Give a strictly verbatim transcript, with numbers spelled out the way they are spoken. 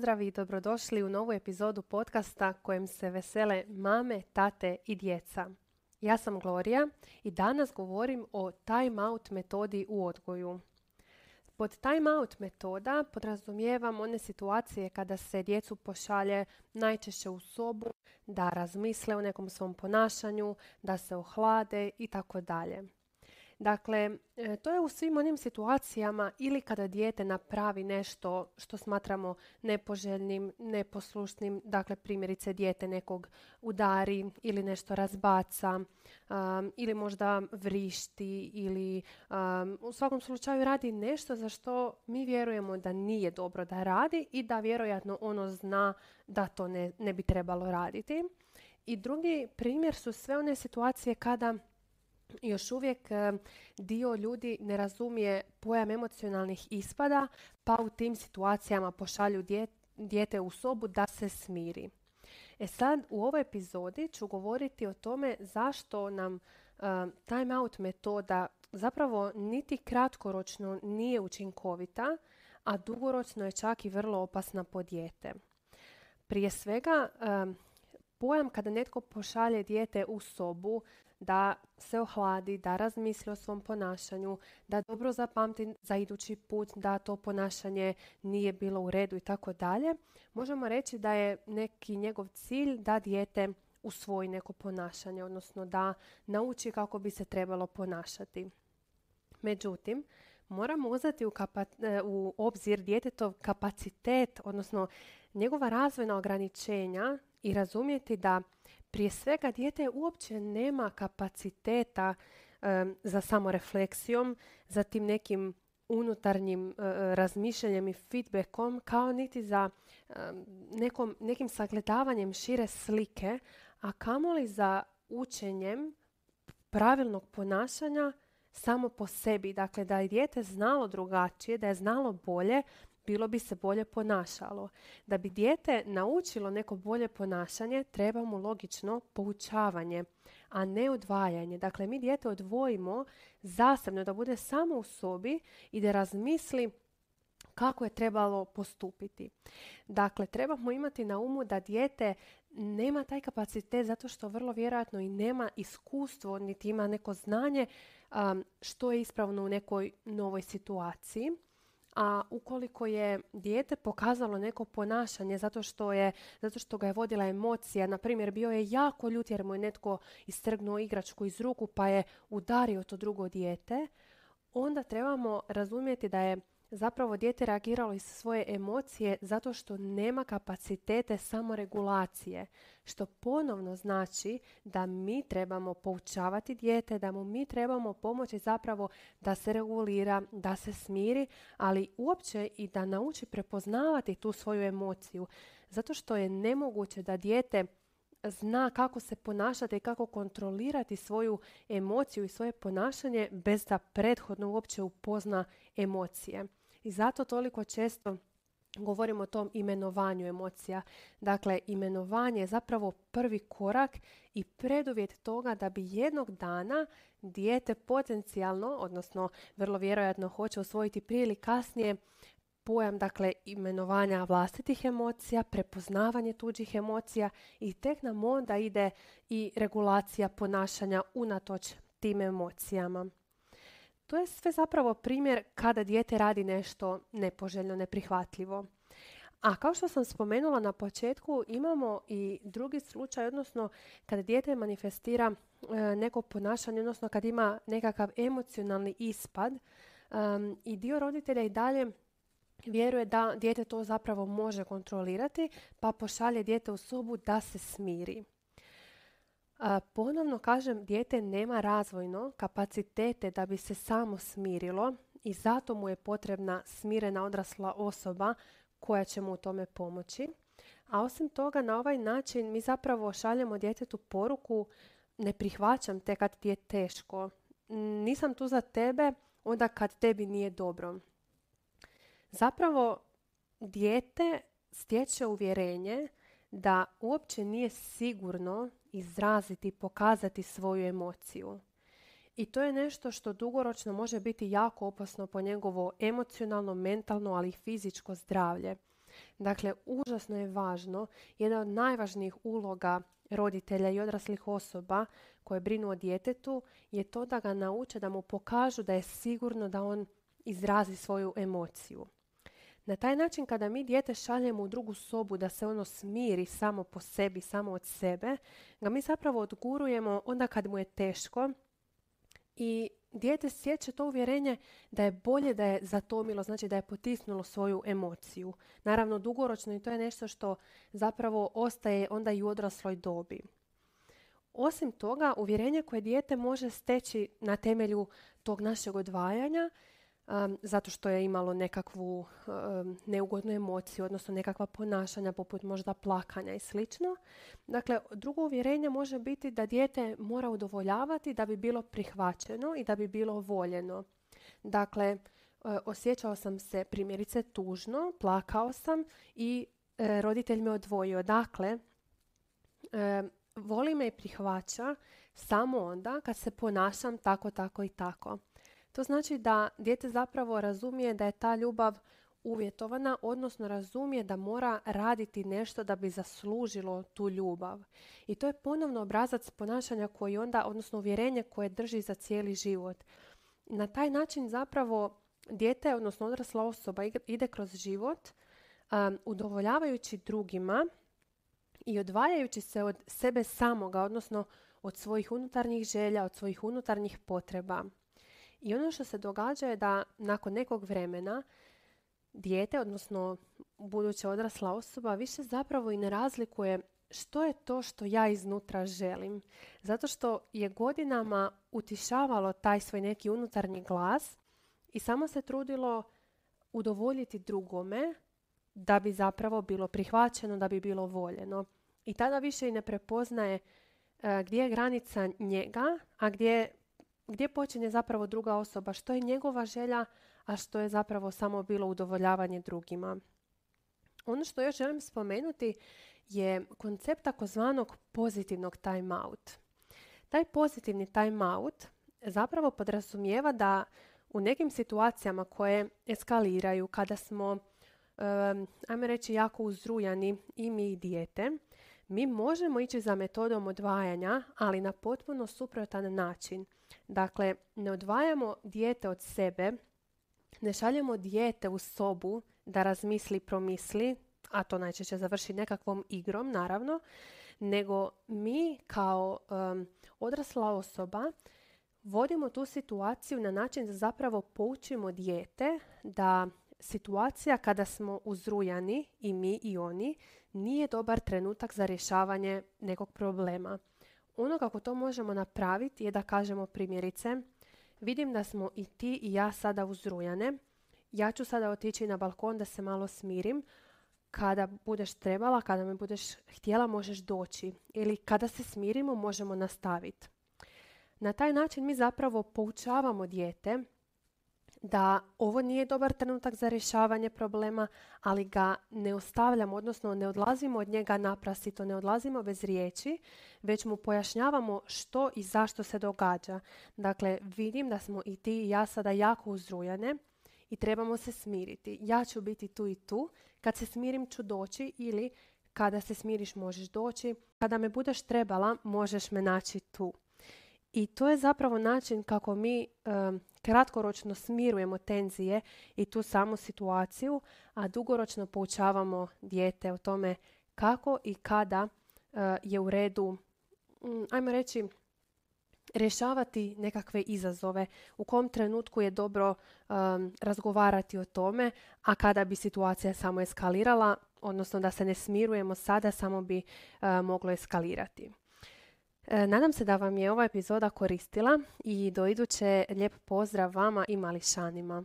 pozdrav i dobrodošli u novu epizodu podcasta kojem se vesele mame, tate i djeca. Ja sam Gloria i danas govorim o time out metodi u odgoju. Pod time out metoda podrazumijevam one situacije kada se djecu pošalje najčešće u sobu da razmisle o nekom svom ponašanju, da se ohlade i tako dalje. Dakle, to je u svim onim situacijama ili kada dijete napravi nešto što smatramo nepoželjnim, neposlušnim, dakle primjerice dijete nekog udari ili nešto razbaca um, ili možda vrišti ili um, u svakom slučaju radi nešto za što mi vjerujemo da nije dobro da radi i da vjerojatno ono zna da to ne, ne bi trebalo raditi. I drugi primjer su sve one situacije kada još uvijek dio ljudi ne razumije pojam emocionalnih ispada, pa u tim situacijama pošalju dijete u sobu da se smiri. E sad, u ovoj epizodi ću govoriti o tome zašto nam uh, time out metoda zapravo niti kratkoročno nije učinkovita, a dugoročno je čak i vrlo opasna po dijete. Prije svega, uh, pojam kada netko pošalje dijete u sobu da se ohladi, da razmisli o svom ponašanju, da dobro zapamti za idući put da to ponašanje nije bilo u redu i tako dalje, možemo reći da je neki njegov cilj da dijete usvoji neko ponašanje, odnosno da nauči kako bi se trebalo ponašati. Međutim, moramo uzeti u, kapa- u obzir djetetov kapacitet, odnosno njegova razvojna ograničenja i razumjeti da prije svega dijete uopće nema kapaciteta um, za samorefleksijom, za tim nekim unutarnjim uh, razmišljanjem i feedbackom, kao niti za um, nekom, nekim sagledavanjem šire slike, a kamoli za učenjem pravilnog ponašanja samo po sebi. Dakle, da je dijete znalo drugačije, da je znalo bolje, bilo bi se bolje ponašalo. Da bi dijete naučilo neko bolje ponašanje, treba mu logično poučavanje, a ne odvajanje. Dakle, mi dijete odvojimo zasebno da bude samo u sobi i da razmisli kako je trebalo postupiti. Dakle, trebamo imati na umu da dijete nema taj kapacitet zato što vrlo vjerojatno i nema iskustvo, niti ima neko znanje um, što je ispravno u nekoj novoj situaciji. A ukoliko je dijete pokazalo neko ponašanje zato što, je, zato što ga je vodila emocija, na primjer bio je jako ljut jer mu je netko istrgnuo igračku iz ruku pa je udario to drugo dijete, onda trebamo razumjeti da je zapravo dijete reagiralo iz svoje emocije zato što nema kapacitete samoregulacije, što ponovno znači da mi trebamo poučavati dijete, da mu mi trebamo pomoći zapravo da se regulira, da se smiri, ali uopće i da nauči prepoznavati tu svoju emociju, zato što je nemoguće da dijete zna kako se ponašati i kako kontrolirati svoju emociju i svoje ponašanje bez da prethodno uopće upozna emocije. I zato toliko često govorimo o tom imenovanju emocija. Dakle, imenovanje je zapravo prvi korak i preduvjet toga da bi jednog dana dijete potencijalno, odnosno vrlo vjerojatno hoće usvojiti prije ili kasnije, pojam, dakle, imenovanja vlastitih emocija, prepoznavanje tuđih emocija i tek nam onda ide i regulacija ponašanja unatoč tim emocijama. To je sve zapravo primjer kada dijete radi nešto nepoželjno, neprihvatljivo. A kao što sam spomenula na početku, imamo i drugi slučaj, odnosno kada dijete manifestira e, neko ponašanje, odnosno kad ima nekakav emocionalni ispad um, i dio roditelja i dalje vjeruje da dijete to zapravo može kontrolirati, pa pošalje dijete u sobu da se smiri. A, ponovno kažem, dijete nema razvojno kapacitete da bi se samo smirilo i zato mu je potrebna smirena odrasla osoba koja će mu u tome pomoći. A osim toga, na ovaj način mi zapravo šaljemo djetetu poruku: ne prihvaćam te kad ti je teško, nisam tu za tebe onda kad tebi nije dobro. Zapravo, dijete stječe uvjerenje da uopće nije sigurno izraziti, pokazati svoju emociju. I to je nešto što dugoročno može biti jako opasno po njegovo emocionalno, mentalno, ali i fizičko zdravlje. Dakle, užasno je važno, jedna od najvažnijih uloga roditelja i odraslih osoba koje brinu o djetetu je to da ga nauče, da mu pokažu da je sigurno da on izrazi svoju emociju. Na taj način kada mi dijete šaljemo u drugu sobu da se ono smiri samo po sebi, samo od sebe, ga mi zapravo odgurujemo onda kad mu je teško i dijete stječe to uvjerenje da je bolje da je zatomilo, znači da je potisnulo svoju emociju. Naravno, dugoročno i to je nešto što zapravo ostaje onda i u odrasloj dobi. Osim toga, uvjerenje koje dijete može steći na temelju tog našeg odvajanja, Um, zato što je imalo nekakvu um, neugodnu emociju, odnosno nekakva ponašanja poput možda plakanja i slično. Dakle, drugo uvjerenje može biti da dijete mora udovoljavati da bi bilo prihvaćeno i da bi bilo voljeno. Dakle, uh, osjećao sam se primjerice tužno, plakao sam i uh, roditelj me odvojio. Dakle, uh, voli me i prihvaća samo onda kad se ponašam tako, tako i tako. To znači da dijete zapravo razumije da je ta ljubav uvjetovana, odnosno razumije da mora raditi nešto da bi zaslužilo tu ljubav. I to je ponovno obrazac ponašanja koji onda, odnosno uvjerenje koje drži za cijeli život. Na taj način zapravo dijete, odnosno odrasla osoba ide kroz život um, udovoljavajući drugima i odvajajući se od sebe samoga, odnosno od svojih unutarnjih želja, od svojih unutarnjih potreba. I ono što se događa je da nakon nekog vremena dijete, odnosno buduća odrasla osoba, više zapravo i ne razlikuje što je to što ja iznutra želim. Zato što je godinama utišavalo taj svoj neki unutarnji glas i samo se trudilo udovoljiti drugome da bi zapravo bilo prihvaćeno, da bi bilo voljeno. I tada više i ne prepoznaje uh, gdje je granica njega, a gdje gdje počinje zapravo druga osoba, što je njegova želja, a što je zapravo samo bilo udovoljavanje drugima. Ono što još želim spomenuti je koncept takozvanog pozitivnog time out. Taj pozitivni time out zapravo podrazumijeva da u nekim situacijama koje eskaliraju, kada smo, um, ajmo reći, jako uzrujani i mi i dijete, mi možemo ići za metodom odvajanja, ali na potpuno suprotan način. Dakle, ne odvajamo dijete od sebe, ne šaljemo dijete u sobu da razmisli, promisli, a to najčešće završi nekakvom igrom, naravno, nego mi kao um, odrasla osoba vodimo tu situaciju na način da zapravo poučimo dijete da situacija kada smo uzrujani, i mi i oni, nije dobar trenutak za rješavanje nekog problema. Ono kako to možemo napraviti je da kažemo primjerice, vidim da smo i ti i ja sada uzrujane, ja ću sada otići na balkon da se malo smirim, kada budeš trebala, kada me budeš htjela možeš doći ili kada se smirimo možemo nastaviti. Na taj način mi zapravo poučavamo dijete da ovo nije dobar trenutak za rješavanje problema, ali ga ne ostavljamo, odnosno ne odlazimo od njega naprasito, ne odlazimo bez riječi, već mu pojašnjavamo što i zašto se događa. Dakle, vidim da smo i ti i ja sada jako uzrujane i trebamo se smiriti. Ja ću biti tu i tu, kad se smirim ću doći ili kada se smiriš možeš doći, kada me budeš trebala možeš me naći tu. I to je zapravo način kako mi um, kratkoročno smirujemo tenzije i tu samu situaciju, a dugoročno poučavamo dijete o tome kako i kada uh, je u redu, um, ajmo reći, rješavati nekakve izazove, u kom trenutku je dobro um, razgovarati o tome, a kada bi situacija samo eskalirala, odnosno da se ne smirujemo sada, samo bi uh, moglo eskalirati. Nadam se da vam je ova epizoda koristila i do iduće lijep pozdrav vama i mališanima.